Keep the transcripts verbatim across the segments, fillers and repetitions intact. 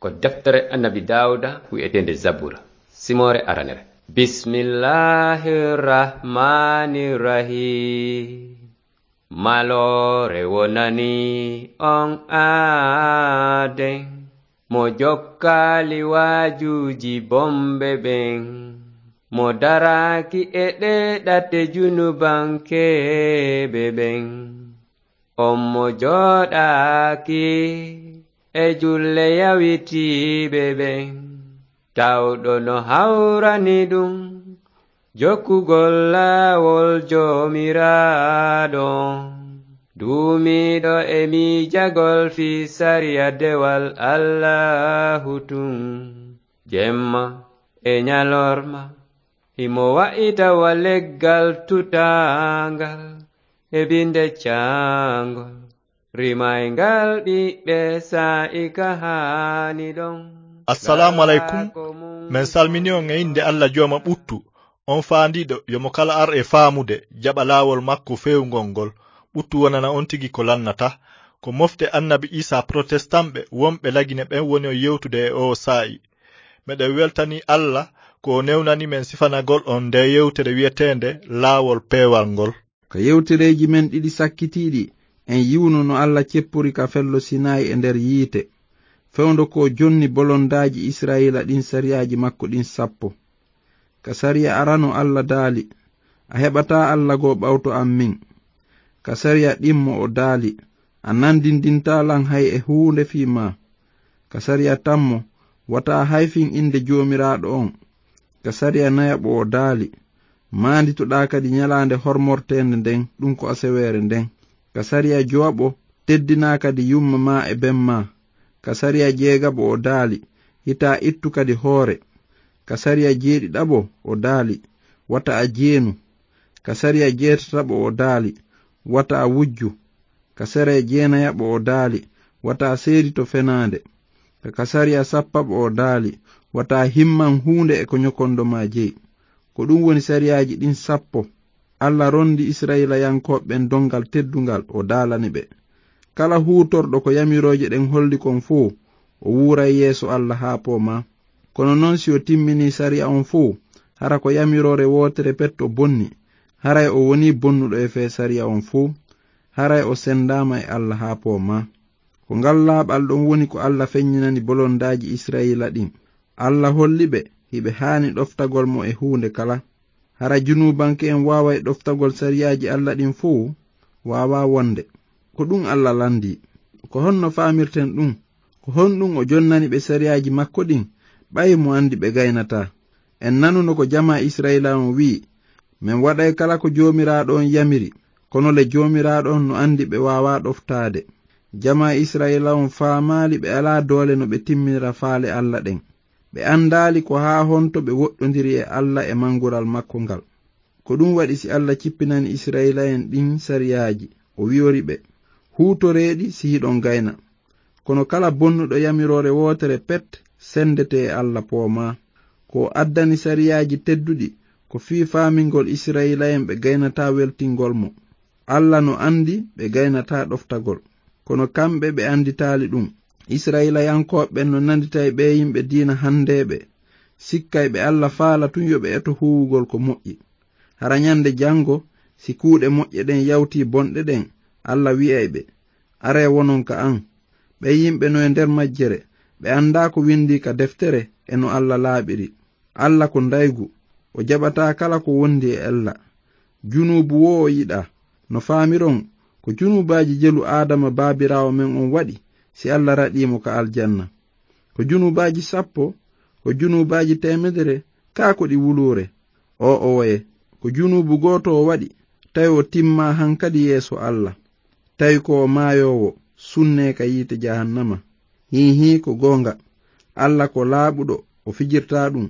Ko deftere Annabi Daawuda wi'eteende Zabura, simoore aranere. Bismillahir Rahmanir Rahim. Maloore wonani on aaden, mo jokkaali waajuuji bonɓe ɓen, mo daraaki e ɗee ɗate junubankeeɓe ɓen. On mo jooɗaaki e julle yawitiiɓe ɓen, tawɗo no hawrani ɗum jokkugol laawol Joomiraaɗo on, duumiiɗo e miijagol fii sariya dewal Allaahu tun, jemma e ñalorma. Himo wa'ita wa leggal tutaangal e binde caangol, rimayngal ɓiɓɓe saa'i ka haani ɗon. Assalaamu aleykum. Men salmini on e innde Alla Jooma ɓuttu, on faandiiɗo yo mo kala ar e faamude, jaɓa laawol makko feewngol ngol. Ɓuttu wonana on tigi ko lannata. Ko mofte Annabi Iisaa Protestant ɓe wonɓe Lagine ɓen woni on yewtude e oo saa'i. Meɗen weltanii Alla ko o newnani men sifanagol on ndee yewtere wi'eteende Laawol Peewal ngol. Ka yewtereeji men ɗiɗi sakkitiiɗi, en yi'uno no Alla ceppori ka fello Sinaayi e nder yiite, fewndo ko o jonni bolondaaji Israa'iila ɗin, sariyaaji makko ɗin sappo. Ka sariya arano Alla daali: "A heɓataa Alla goo ɓawto an min." Ka sariya ɗimmo o daali: "A nandindintaa lan hay e huunde fii maa." Ka sariya tammo: "Wata a hayfin innde Joomiraaɗo on." Ka sariya nayaɓo o daali: "Maanditoɗaa kadi ñalaande hormorteende nden, ɗum ko aseweere nden." Ka sariya jowaɓo: "Teddinaa kadi yumma maa e ben maa." Ka sariya jeegaɓo o daali: "Hitaa ittu kadi hoore." Ka sariya jeeɗiɗaɓo o daali: "Wata a jeenu." Ka sariya jeetataɓo o daali: "Wata a wujju." Ka sariya jeenayaɓo o daali: "Wata a seedito fenaande." Ka, ka sariya sappaɓo o daali: "Wata a himman huunde e ko ñokondo maa jeyi." Ko ɗum woni sariyaaji ɗin sappo. Alla rondi Isra'iilayankooɓe ɓen dongal teddungal, o daalani ɓe. Kala huutorɗo ko yamirooje ɗen holli kon fow, o wuuray yeeso Alla haa poomaa. Kono non, si o timminii sariya on fow, hara ko yamiroore wootere pet o bonni, haray o wonii bonnuɗo e fee sariya on fow, haray o sendaama e Alla haa poomaa. Ko ngal laaɓal ɗon woni ko Alla feññinani bolondaaji Isra'iila ɗin. Alla holli ɓe hiɓe haani ɗoftagol mo e huunde kala. Hara junuubanke'en waaway ɗoftagol sariyaaji Alla ɗin fow? Waawaa wonde. Ko ɗum Alla landii. Ko honno faamirten ɗum? Ko honɗum o jonnani ɓe sariyaaji makko ɗin, ɓay mo andi ɓe gaynataa? En nanuno ko jamaa Isra'iila on wi'i: "Men waɗay kala ko Joomiraaɗo on yamiri." Kono le, Joomiraaɗo on no andi ɓe waawaa ɗoftaade. Jamaa Isra'iila on faamaali ɓe alaa doole no ɓe timminira faale Alla ɗen. Ɓe andaali ko haa honto ɓe woɗɗondiri e Alla e mangural makko ngal. Ko ɗum waɗi, si Alla cippinani Isra'iila'en ɗin sariyaaji, o wi'ori ɓe: "Huutoree ɗi si hiɗon gayna." Kono kala bonnuɗo yamiroore wootere pet sendete e Alla poomaa. Ko o addani sariyaaji tedduɗi ko fii faamingol Isra'iila'en ɓe gaynataa weltingol mo. Alla no andi ɓe gaynataa ɗoftagol, kono kamɓe ɓe anditaali ɗum. Isra'iilayankooɓe ɓen no nandita e ɓee yimɓe diina handeeɓe, sikkay ɓe Alla faala tun yo ɓe eto huuwugol ko moƴƴi. Hara ñande jango, si kuuɗe moƴƴe ɗen yawtii bonɗe ɗen, Alla wi'ay ɓe: "Aree wonon ka an." Ɓen yimɓe no e nder majjere, ɓe andaa ko windii ka deftere e no Alla laaɓiri. Alla ko ndaygu, o jaɓataa kala ko wondi e ella. Junuubu woo o yiɗaa. No faamiron, ko junuubaaji jelu Aadama baabiraawo men on waɗi si Alla raɗii mo ka aljanna. Ko junuubaaji sappo, ko junuubaaji teemedere, kaa ko ɗi wuluure? Oo owoye, ko junuubu gooto o waɗi, tawi o timmaa hankadi yeeso Alla. Tawi ko o maayoowo, sunnee ka yiite jahannama. Hiihii, ko goonga, Alla ko laaɓuɗo, o fijirtaa ɗum.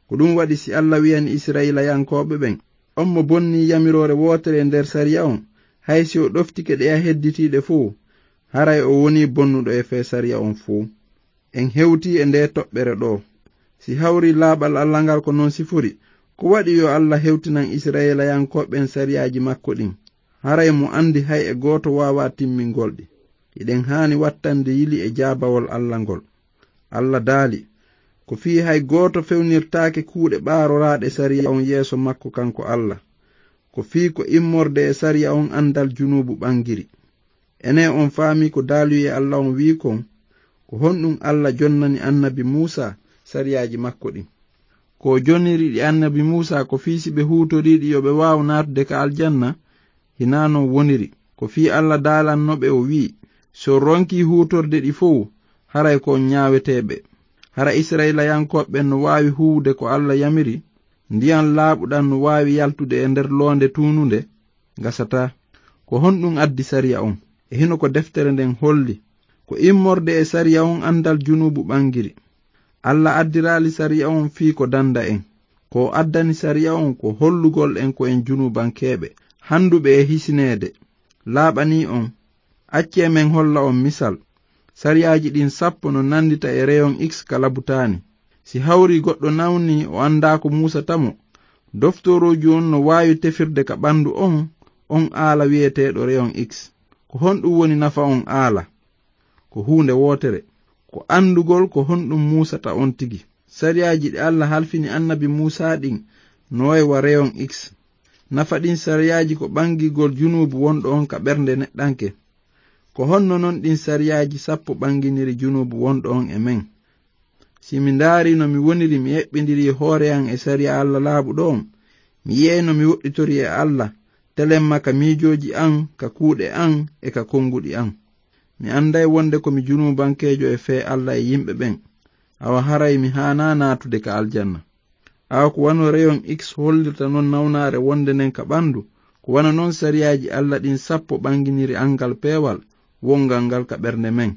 Ko ɗum waɗi, si Alla wi'ani Isra'iilayankooɓe ɓen: "On mo bonnii yamiroore wootere nder sariya on, hay si o ɗoftike ɗe a hedditiiɗe fow, haray o wonii bonnuɗo e fee sariya on fow." En hewtii e ndee toɓɓere ɗoo. Si hawrii laaɓal Alla ngal ko non sifori, ko waɗi yo Alla hewtinan Isra'iilayankooɓe ɓen sariyaaji makko ɗin? Haray mo andi hay e gooto waawaa timmingol ɗi. Hiɗen haani wattande yili e jaabawol Alla ngol. Alla daali, ko fii hay gooto fewnirtaake kuuɗe ɓaaroraaɗe sariya on yeeso makko kanko Alla. Ko fii ko immorde e sariya on andal junuubu ɓangiri. Ene on faami ko daaluyee Alla on wi'i kon? Ko honɗum Alla jonnani annabi Muusa sariyaaji makko ɗin? Ko o jonniri ɗi annabi Muusa ko fii si ɓe huutorii ɗi yo ɓe waaw naatude ka aljanna? Hinaa non woniri. Ko fii Alla daalanno ɓe o wi'i, si on ronkii huutorde ɗi fow, haray ko on ñaaweteeɓe. Hara Isra'ilayankooɓe ɓen no waawi huuwude ko Alla yamiri? Ndiyan laaɓuɗan no waawi yaltude e nder loonde tuununde? Gasataa. Ko honɗum addi sariya on? E hino ko deftere nden holli, ko immorde e sariya on andal junuubu ɓangiri. Alla addiraali sariya on fii ko danda en. Ko o addani sariya on ko hollugol en ko en junuubankeeɓe, handuɓe e hisineede. Laaɓanii on. Accee men holla on misal. Sariyaaji ɗin sappo no nandita e reyon X ka labutaani. Si hawrii goɗɗo nawnii o anndaa ko muusata mo, doftorooju on no waawi tefirde ka ɓandu on, on aala wi'eteeɗo reyon X. Ko honɗum woni nafa on aala? Ko huunde wootere, ko anndugol ko honɗum muusata on tigi. Sariyaaji ɗi Alla halfini annabi Muusaa ɗin no way wa reyon X. Nafa ɗin sariyaaji ko ɓangigol junuubu wonɗo on ka ɓernde neɗɗanke. Ko honno non ɗin sariyaaji sappo ɓanginiri junuubu wonɗo on e men? Si mi ndaarii no mi woniri mi eɓɓindirii hoore an e sariya Alla laaɓuɗo on, mi yi'ay no mi woɗɗitorii e Alla, telemma ka miijooji an, ka kuuɗe an, e ka konnguɗi an. Mi annday wonde ko mi junuubankeejo e fee Alla e yimɓe ɓen. Awa haray mi haanaa naatude ka aljanna. Awa ko wano reyon X hollirta non nawnaare wonde nden ka ɓandu, ko wano non sariyaaji Alla ɗin sappo ɓanginiri angal peewal wongal ngal ka ɓernde men.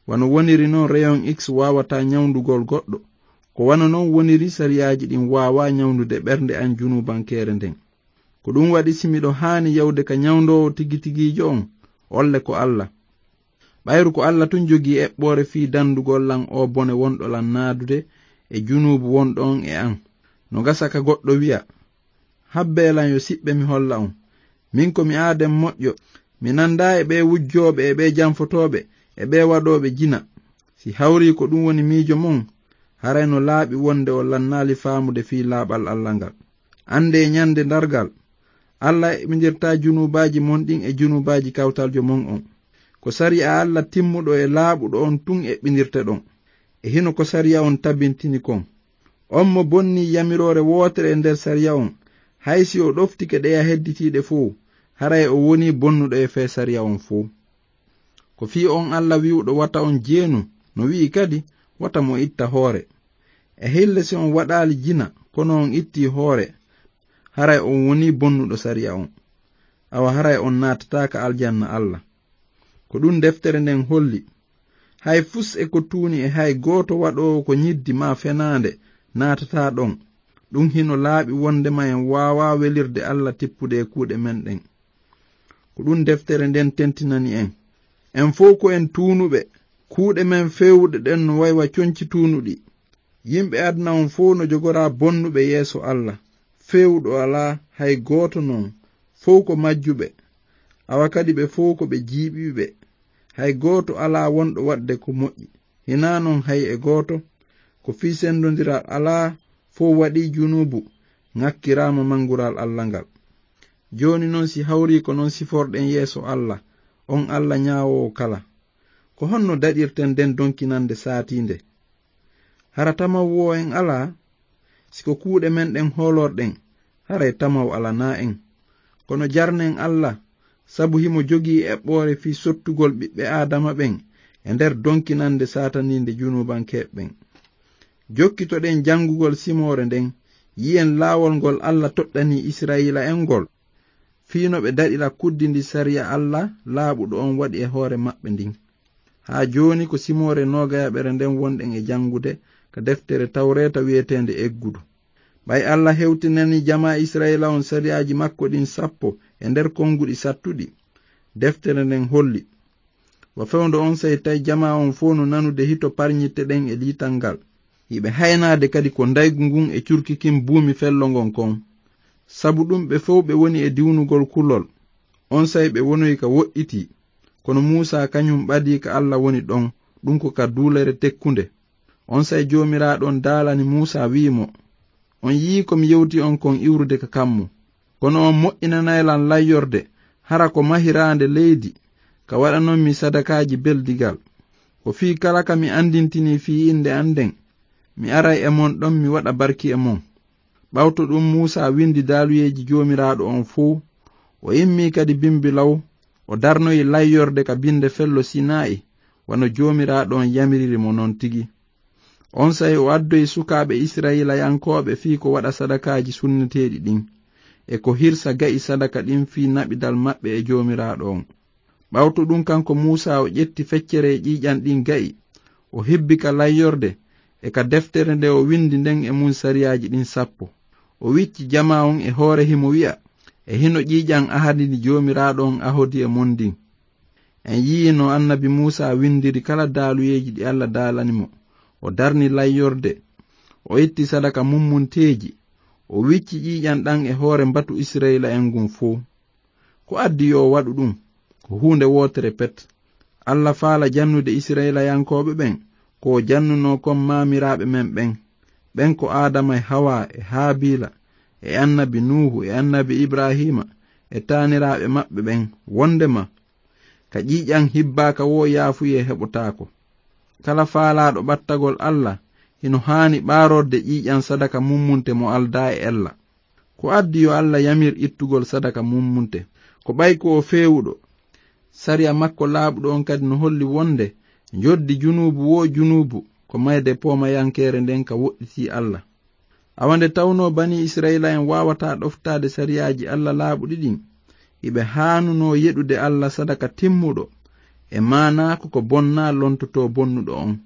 Wano woniri non reyon X waawataa ñawndugol goɗɗo, ko wano non woniri sariyaaji ɗin waawaa ñawndude ɓernde an junuubankeere nden. Ko ɗum waɗi si miɗo haani yawde ka ñawndoowo tigitigiijo on, olle ko Alla. Ɓayru ko Alla tun jogii eɓɓoore fii dandugol lan oo bone wonɗo lan naadude e junuubu wonɗo on e an. No gasa ka goɗɗo wi'a, habbee lan yo siɓɓe mi holla on. Min ko mi aaden moƴƴo, mi nandaa e ɓee wujjooɓe e ɓee janfotooɓe e ɓee waɗooɓe jina. Si hawrii ko ɗum woni miijo mon, haray no laaɓi wonde on lannaali faamude fii laaɓal Alla ngal. Anndee ñande dargal, Alla eɓɓindirtaa junuubaaji mon ɗin e junuubaaji kawtaljo mon on. Ko sariya Alla timmuɗo e laaɓuɗo on tun eɓɓindirteɗon. E hino ko sariya on tabintini kon. On mo bonnii yamiroore wootere e nder sariya on, hay si o ɗoftike ɗeya hedditiiɗe fow, haray o wonii bonnuɗo e fee sariya on fow. Ko fii on Alla wi'uɗo wata on jeenu, no wi'i kadi, wata mo itta hoore. E hille si on waɗaali jina, kono on ittii hoore, haray on wonii bonnuɗo sariya on. Awa haray on naatataa ka aljanna Alla. Ko ɗum deftere nden holli. Hay fus e ko tuuni e hay gooto waɗoowo ko ñiddi maa fenaande naatataa ɗon. Ɗum hino laaɓi wondema en waawaa welirde Alla tippude e kuuɗe men ɗen. Ko ɗum deftere nden tentinani en. En fow ko en tuunuɓe, kuuɗe men feewuɗe ɗen no way wa conci tuunuɗi. Yimɓe aduna on fow no jogoraa bonnuɓe yeeso Alla. Feewuɗo alaa, hay gooto non, fow ko majjuɓe. Awa kadi ɓe fow ko ɓe jiiɓiiɓe. Hay gooto alaa wonɗo waɗde ko moƴƴi. Hinaa non hay e gooto. Ko fii sendondiral alaa, fow waɗii junuubu, ŋakkiraama mangural Alla ngal. Jooni non si hawrii ko non siforɗen yeeso Alla, on Alla ñaawoowo kala. Ko honno daɗirten nden donkinande saatiinde? Hara tamaw woo en alaa? Si ko kuuɗe men ɗen hoolorɗen, haray tamaw alanaa en. Kono jarnen Alla, sabu himo jogii eɓɓoore fii sottugol ɓiɓɓe Aadama ɓen e nder donkinande saataniinde junuubankeeɓe ɓen. Jokkitoɗen janngugol simoore nden, yi'en laawol ngol Alla toɗɗanii Isra'iila'en ngol, fii no ɓe daɗira kuddi ndi sariya Alla laaɓuɗo on waɗi e hoore maɓɓe ndin. Haa jooni ko simoore noogayaɓere nden wonɗen e janngude ka deftere Tawreeta wi'eteende Eggudu. Ɓay Alla hewtinanii jamaa Isra'iila on sariyaaji makko ɗin sappo e nder konnguɗi sattuɗi, deftere nden holli. Wa fewndo onsay tawi jamaa on fow no nanude hito parñitte ɗen e liital ngal. Hiɓe haynaade kadi ko ndaygu ngun e curki kin buumi fello ngon kon. Sabu ɗum ɓe fow ɓe woni e diwnugol kulol. Onsay ɓe wonoyi ka woɗɗitii. Kono Muusaa kañum ɓadii ka Alla woni ɗon, ɗum ko ka duulere tekkunde. Onsay Joomiraaɗo on daalani Muusaa, wi'i mo, "On yi'ii ko mi yewti on kon iwrude ka kammu. Kono on moƴƴinanay lan layyorde, hara ko mahiraande leydi, ka waɗanon mi sadakaaji beldigal. Ko fii kala ka mi andintini fii innde an nden, mi aray e mon ɗon, mi waɗa barki e mon." Ɓawto ɗun, Muusaa windi daaluyeeji Joomiraaɗo on fow. O immii kadi bimbi law, o darnoyi layyorde ka binde fello Sinaa'i, wano Joomiraaɗo on yamiriri mo non tigi. Onsay o addoyi sukaaɓe Isra'ilayankooɓe fii ko waɗa sadakaaji sunneteeɗi ɗin, e ko hirsa ga'i sadaka ɗin fii naɓidal maɓɓe e Joomiraaɗo on. Ɓawto ɗun, kanko Muusaa, o ƴetti feccere e ƴiiƴan ɗin ga'i, o hibbi ka layyorde e ka deftere nde o windi nden e mun sariyaaji ɗin sappo. O wicci jamaa on e hoore himo wi'a, "E hino ƴiiƴan ahadi ndi Joomiraaɗo on ahodi e mon ndin." En yi'ii no annabi Muusaa windiri kala daaluyeeji ɗi Alla daalani mo. O darni layyorde, o itti sadaka mummunteeji, o wicci ƴiiƴan ɗan e hoore mbatu Isra'iila'en ngun fow. Ko addi yo o waɗu ɗun? Ko huunde wootere pet. Alla faala jannude Isra'iilayankooɓe ɓen, ko o jannunoo kon maamiraaɓe men ɓen. Ɓen ko Aadama e Hawaa e Haabiila e annabi Nuuhu e annabi Ibraahiima e taaniraaɓe maɓɓe ɓen, wondema ka ƴiiƴan hibbaaka woo yaafuyee heɓotaako. Kala faalaaɗo ɓattagol Alla hino haani ɓaarorde ƴiiƴan sadaka mummunte mo aldaa e ella. Ko addi yo Alla yamir ittugol sadaka mummunte? Ko ɓay ko o feewuɗo. Sariya makko laaɓuɗo on kadi no holli wonde njoddi junuubu woo junuubu ko mayde poomayankeere nden ka woɗɗitii Alla. Awa nde tawnoo banii Isra'iila'en waawataa ɗoftaade sariyaaji Alla laaɓuɗi ɗin, hiɓe haanunoo yeɗude Alla sadaka timmuɗo, e maanaa ko ko bonnaa lontotoo bonnuɗo on.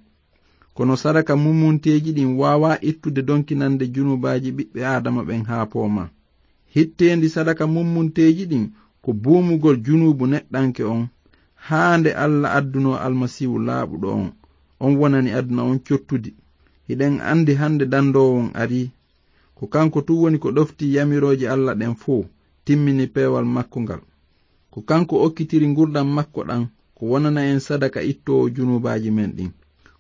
Kono sadaka mummunteeji ɗin waawaa ittude donkinande junuubaaji ɓiɓɓe Aadama ɓen haa poomaa. Hitteendi sadaka mummunteeji ɗin ko buumugol junuubu neɗɗanke on, haa nde Alla addunoo Almasiihu laaɓuɗo on, on wonani aduna on cottudi. Hiɗen andi hande dandoowo on arii. Ko kanko tun woni ko ɗofti yamirooje Alla ɗen fow, timmini peewal makko ngal. Ko kanko okkitiri ngurndan makko ɗan, ko wonana en sadaka ittoowo junuubaaji men ɗin.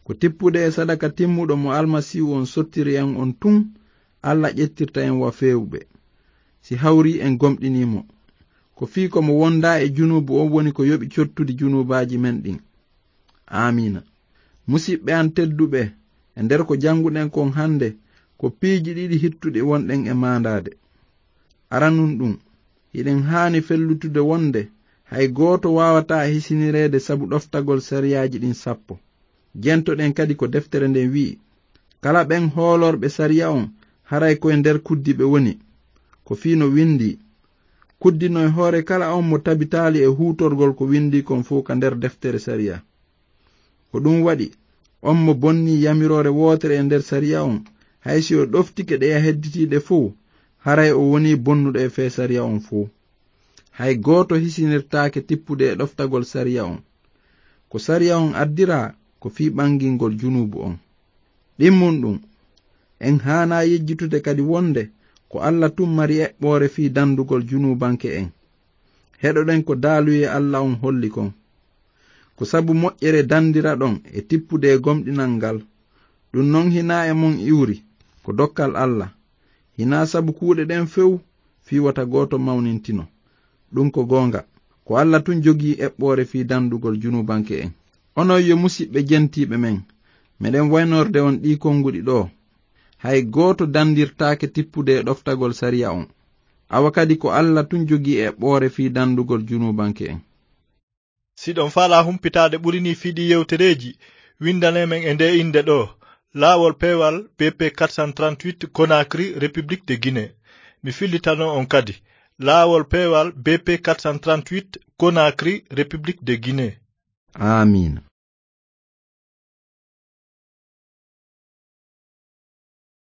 Ko tippude e sadaka timmuɗo mo Almasiihu on sottiri en on tun, Alla ƴettirta en wa feewuɓe, si hawrii en gomɗinii mo. Ko fii ko mo wondaa e junuubu on woni ko yoɓi cottudi junuubaaji men ɗin. Aamiina. Musiɓɓe an tedduɓe, e nder ko jannguɗen kon hande, ko piiji ɗiɗi hittuɗi wonɗen e maandaade. Aranun ɗun, hiɗen haani fellutude wonde hay gooto waawataa hisinireede sabu ɗoftagol sariyaaji ɗin sappo. Jentoɗen kadi ko deftere nden wi'i, "Kala ɓen hoolorɓe sariya on, haray ko e nder kuddi ɓe woni." Ko fii no windii, "Kuddino e hoore kala on mo tabitaali e huutorgol ko windii kon fow ka nder deftere sariya." Ko ɗun waɗi, on mo bonnii yamiroore wootere e nder sariya on, hay si o ɗoftike ɗeya hedditiiɗe fow, haray o wonii bonnuɗo e fee sariya on fow. Hay gooto hisinirtaake tippude e ɗoftagol sariya on. Ko sariya on addiraa ko fii ɓangingol junuubu on. Ɗimmun ɗun, en haanaa yejjitude kadi wonde ko Alla tun mari eɓɓoore fii dandugol junuubanke en. Heɗoɗen ko daaluyee Alla on holli kon. Ko sabu moƴƴere dandiraɗon e tippude e gomɗinal ngal. Ɗun non hinaa e mon iwri, ko dokkal Alla. Hinaa sabu kuuɗe ɗen few fii wota gooto mawnintino. Ɗun ko goonga. Ko Alla tun jogii eɓɓoore fii dandugol junuubanke en. Onon yo musiɓɓe jentiiɓe men, meɗen waynorde on ɗii konguɗi ɗoo. Hay gooto dandirtaake tippude e ɗoftagol sariya on. Awa kadi ko Alla tun jogii eɓɓoore fii dandugol junuubanke en. Si ɗon faalaa humpitaade ɓuri nii fii ɗii yewtereeji, windanee men e ndee innde ɗoo, Laawol Peewal B P quatre cent trente-huit, Conakry, République de Guinée. Mi fillitano on kadi, Laawol Peewal B P quatre cent trente-huit, Conakry, République de Guinée. Aamiina.